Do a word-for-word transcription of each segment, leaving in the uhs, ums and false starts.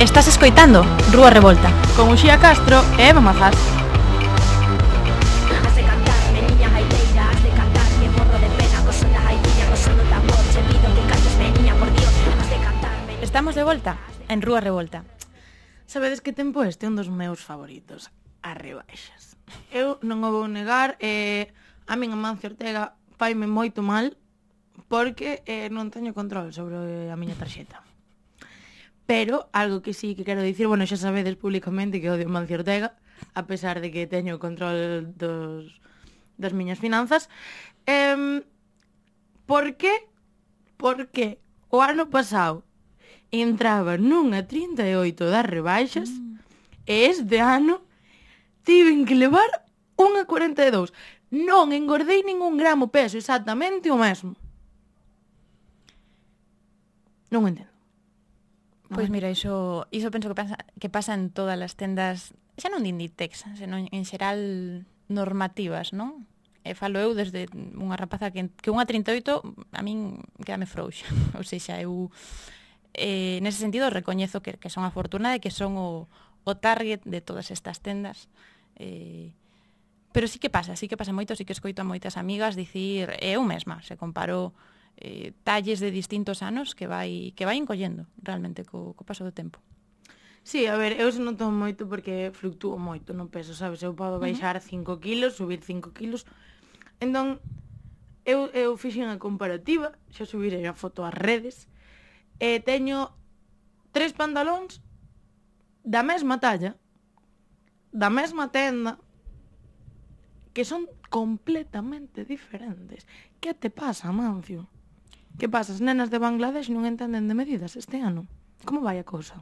Estás escoitando Rúa Revolta con Uxía Castro e Eva Mazás. Has de cantar, meniña gaiteira, has de cantar, que morro de pena, co son da gaitiña, co son do tambor, che pido que cantes, meniña, por Dios, has de cantar, meniña. Estamos de volta en Rúa Revolta. Sabedes que tempo este é un dos meus favoritos, as rebaixas. Eu non o vou negar, eh, a min Amancio Ortega faime moito mal porque eh, non teño control sobre a miña tarxeta. Pero algo que sí que quero dicir, bueno, xa sabedes públicamente que odio Amancio Ortega, a pesar de que teño control dos, das miñas finanzas. Eh, por que? Porque o ano pasado entraba nunha trinta e oito das rebaixas mm. e este ano tiven que levar unha cuarenta e dous. Non engordei ningún gramo, peso exactamente o mesmo. Non entendo. Pois mira, iso, iso penso que pasa, que pasa en todas as tendas, xa non de Inditex, senón en xeral normativas, non? E falo eu desde unha rapaza que, que unha trinta e oito a min quedame frouxa. Ou seja, eu eh, nese sentido recoñezo que, que son afortunada e que son o, o target de todas estas tendas. Eh, pero sí que pasa, sí que pasa moito, sí que escoito a moitas amigas dicir, eu mesma, se comparo Eh, talles de distintos anos que vai que vai encollendo realmente co, co paso do tempo. Sí, a ver, eu se noto moito porque fluctúo moito no peso, sabes? Eu podo baixar uh-huh. cinco kilos, subir cinco kilos. Entón, eu, eu fixen a comparativa, xa subirei a foto ás redes, e teño tres pantalóns da mesma talla, da mesma tenda, que son completamente diferentes. Que te pasa, Amancio? Que pasa? As nenas de Bangladesh non entenden de medidas este ano. Como vai a cousa?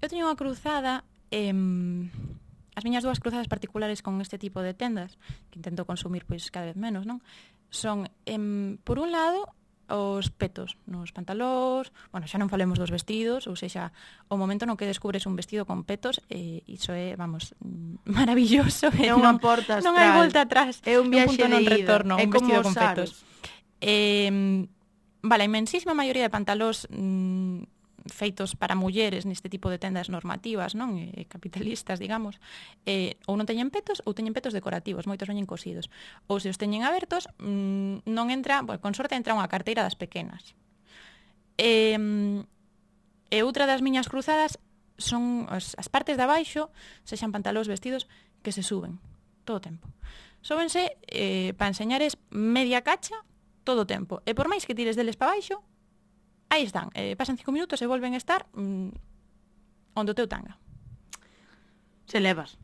Eu teño unha cruzada, eh, as miñas dúas cruzadas particulares con este tipo de tendas, que intento consumir pois cada vez menos, non? Son, eh, por un lado, os petos nos pantalóns, bueno, xa non falemos dos vestidos, ou seja, o momento no que descubres un vestido con petos, eh, iso é, vamos, maravilloso. É unha porta astral. Non hai volta atrás. É un viaxe un punto de non ida. retorno, É un como vestido con os petos. Eh, vale, a inmensísima maioría de pantalóns mmm, feitos para mulleres neste tipo de tendas normativas, non? Eh, capitalistas, digamos, eh, ou non teñen petos ou teñen petos decorativos, moitos veñen cosidos. Ou se os teñen abertos, mmm, non entra, bueno, con sorte entra unha carteira das pequenas. E, e outra das miñas cruzadas son as, as partes de abaixo, sexan pantalóns, vestidos, que se suben todo o tempo. Súbense eh, para enseñares media cacha todo o tempo. E por máis que tires deles para baixo, aí están. Eh, pasan cinco minutos e volven a estar mmm, onde o teu tanga. Se levas.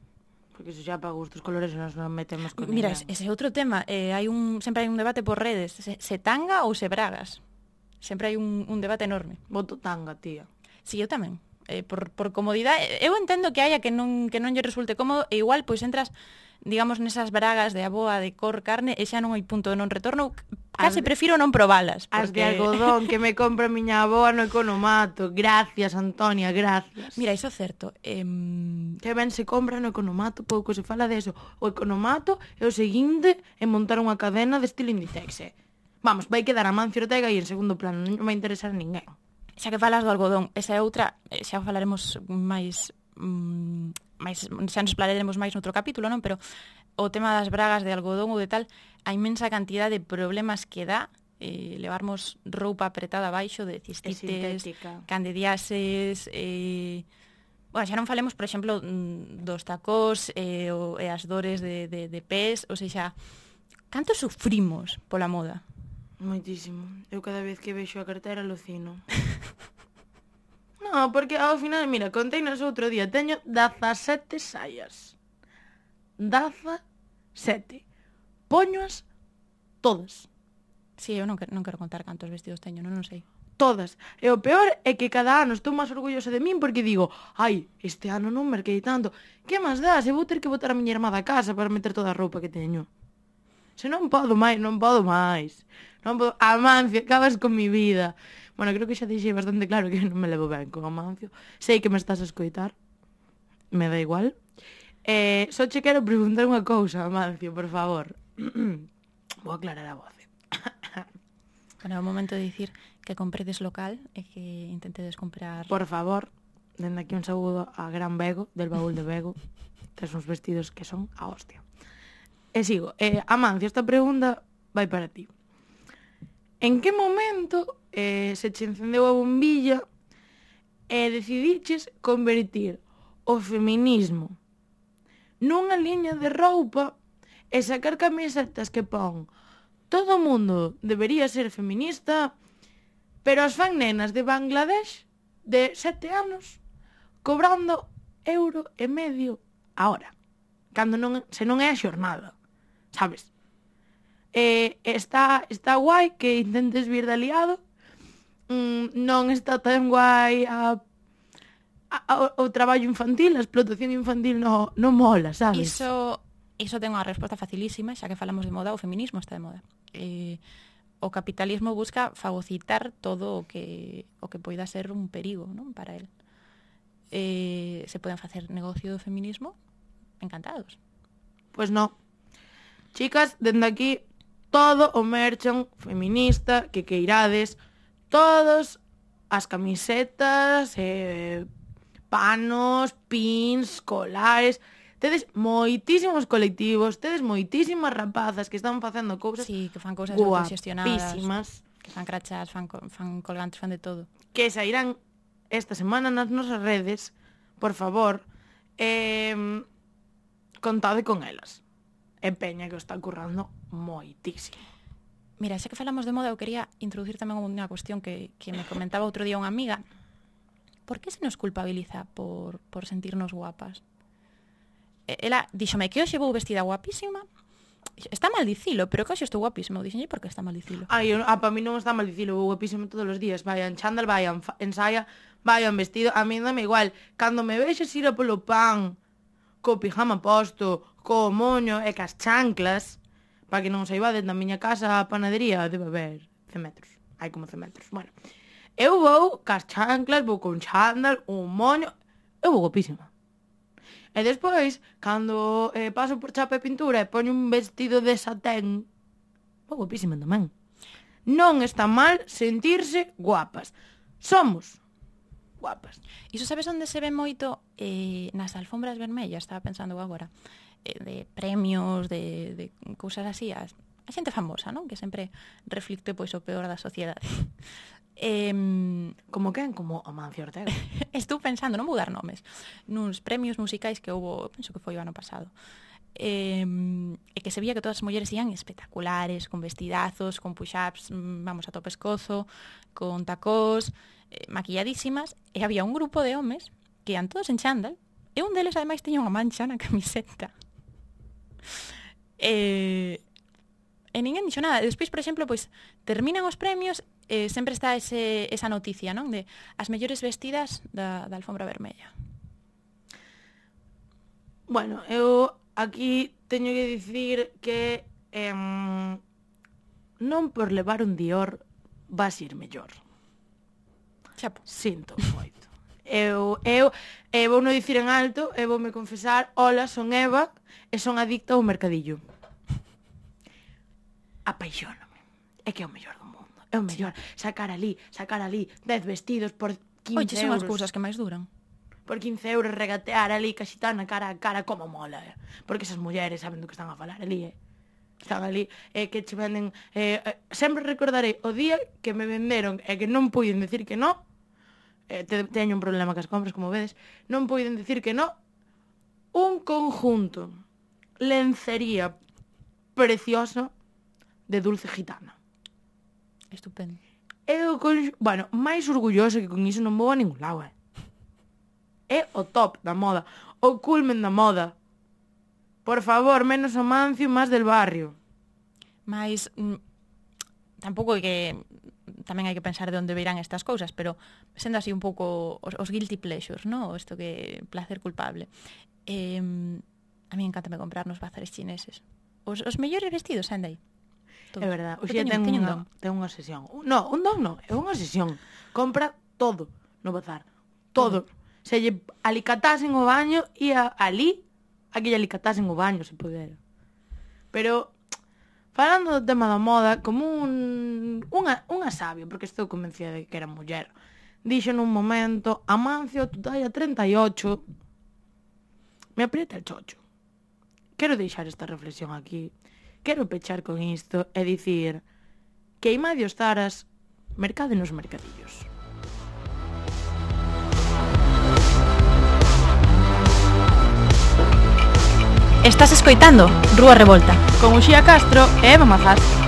Porque se xa para gustos colores nos non metemos con Mira, ninguén. ese é outro tema. Eh, hai un, sempre hai un debate por redes. Se, se tanga ou se bragas. Sempre hai un, un debate enorme. Voto tanga, tía. Si, sí, eu tamén. Eh, por, por comodidade. Eu entendo que haya que non, que non lle resulte cómodo e igual, pois entras, digamos, nesas bragas de aboa de cor carne e xa non hai punto de non retorno. Case prefiro non probalas. Porque... As de algodón que me compra a miña aboa no Economato. Gracias, Antonia, gracias. Mira, iso é certo. Eh... Que ben se compra no Economato, pouco se fala deso. O Economato é o seguinte en montar unha cadena de estilo Inditex. Vamos, vai quedar Amancio Ortega e en segundo plano non vai interesar a ninguén. Xa que falas do algodón, esa é outra, xa falaremos máis, mmm, máis xa nos explararemos máis noutro capítulo, non? Pero o tema das bragas de algodón ou de tal, a inmensa cantidad de problemas que dá eh, levarmos roupa apretada abaixo de cistites, candidiases, eh, bueno, xa non falemos, por exemplo, dos tacós eh, o, e as dores de, de, de pés, ou seja, canto sufrimos pola moda? Moitísimo. Eu cada vez que vexo a carteira alucino. No, porque ao final, mira, conteinos outro día, teño dezasete saias. dezasete. Poñoas todas. Si, sí, eu non quero, non quero contar cantos vestidos teño, non, non sei. Todas. E o peor é que cada ano estou máis orgullosa de min porque digo, ai, este ano non merquei tanto. Que máis dá? Se vou ter que botar a miña irmá da casa para meter toda a roupa que teño. Se non podo máis, non podo máis. Non podo... Amancio, acabas con mi vida. Bueno, creo que xa dixei bastante claro que non me levo ben con Amancio. Sei que me estás a escoitar. Me dá igual. Eh, só che quero preguntar unha cousa, Amancio, por favor. Vou aclarar a voz. Bueno, é o momento de dicir que compredes local e que intentedes comprar... Por favor, dende aquí un saúdo a Gran Bego, del baúl de Bego. Tes uns vestidos que son a hostia. E sigo. Eh, Amancio, esta pregunta vai para ti. En que momento eh, se che encendeu a bombilla e decidiches convertir o feminismo nunha liña de roupa e sacar camisetas que pon todo o mundo debería ser feminista, pero as fan nenas de Bangladesh de sete anos cobrando euro e medio a hora, cando non, se non é a xornada, sabes? Eh, está, está guai que intentes vir de aliado, mm, non está tan guai a, a, a, o traballo infantil, a explotación infantil no, no mola, sabes? Iso, iso ten unha resposta facilísima, xa que falamos de moda, o feminismo está de moda. Eh, o capitalismo busca fagocitar todo o que, o que poida ser un perigo, non, para el. Eh, se poden facer negocio do feminismo? Encantados. Pois no. Chicas, dende aquí, todo o merchan feminista que queirades, todos as camisetas, eh, panos, pins, colares. Tedes moitísimos colectivos, tedes moitísimas rapazas que están facendo cousas, sí, que fan cousas autoxestionadas, que fan crachas, fan, fan colgantes, fan de todo. Que sairán esta semana nas nosas redes, por favor, eh, contade con elas. E Peña que o está currando moitísimo. Mira, xa que falamos de moda, eu quería introducir tamén unha cuestión que, que me comentaba outro día unha amiga. Por que se nos culpabiliza por, por sentirnos guapas? Ela díxome que hoxe vou vestida guapísima. Está mal dicilo, pero que hoxe estou guapísima. Eu dixenlle, por que está mal dicilo? Ai, eu, ah, para mí non está mal dicilo, vou guapísima todos os días. Vai en chándal, vai en, en saia, vai en vestido. A mí dame igual. Cando me vexes ir a polo pan, co pijama posto, co moño e cas chanclas, para que non saibades, na miña casa a panadería debe haber cen metros. Hai como cen metros. Bueno, eu vou cas chanclas, vou con chándal, un moño, eu vou guapísima. E despois, cando eh, paso por chapa e pintura e poño un vestido de satén, vou guapísima tamén. Non está mal sentirse guapas. Somos guapas. Iso sabes onde se ve moito? Eh, nas alfombras vermellas, estaba pensando agora. Eh, de premios, de, de cousas así. A, a xente famosa, non? Que sempre reflicte pois o peor da sociedade. Eh, como quen? Como Amancio Ortega. Estou pensando, non vou dar nomes, nuns premios musicais que houve, penso que foi o ano pasado, eh, e que se vía que todas as mulleres ian espectaculares, con vestidazos, con push-ups, vamos a tope escozo, con tacós, eh, maquilladísimas, e había un grupo de homes que ian todos en chándal, e un deles ademais tiña unha mancha na camiseta. E, e ninguén dixo nada. Despois, por exemplo, pois terminan os premios, eh, sempre está ese, esa noticia, non? De as mellores vestidas da, da alfombra vermella. Bueno, eu aquí teño que dicir que eh, non por levar un Dior vas ir mellor. Chapo. Sinto moito. Eu, eu, eu vou non dicir en alto, eu vou me confesar, hola, son Eva e son adicta ao mercadillo. Apaixóname. É que é o mellor do mundo. É o mellor. Sacar ali, sacar ali dez vestidos por quince Oye, son euros. as cousas que máis duran. Por quince euros regatear ali, caxitana, cara a cara, como mola, eh? Porque esas mulleres saben do que están a falar ali, eh? Están ali, eh, que che venden... Eh, eh, sempre recordarei o día que me venderon e que non puiden decir que non. Eh, te, teño un problema cas compras, como vedes. Non puiden decir que non. Un conjunto lencería preciosa de dulce gitana. Estupendo. Eu, con... bueno, máis orgulloso que con iso non vou a ningún lado, eh? É o top da moda, o culmen da moda. Por favor, menos Amancio, máis del barrio. Mais mm, tampouco é que tamén hai que pensar de onde virán estas cousas, pero sendo así un pouco os, os guilty pleasures, ¿no? Isto que placer culpable. Eh, a mí encántame comprar nos bazares chineses. Os, os mellores vestidos, anda aí. Todos. É verdade, o xía ten, ten, unha, ten unha sesión. No, un don non, é unha sesión. Compra todo no bazar. Todo. todo. Se lle alicatasen o baño e a, ali a que lle alicatasen o baño, se pudera. Pero, falando do tema da moda, como un, unha, unha sabia, porque estou convencida de que era muller, dixo nun momento: Amancio, tu talla treinta e ocho me aprieta el chocho. Quero deixar esta reflexión aquí. Quero pechar con isto e dicir que Imadio Zaras, mercade nos mercadillos. Estás escoitando Rúa Revolta Con Uxía Castro e Eva Mazás.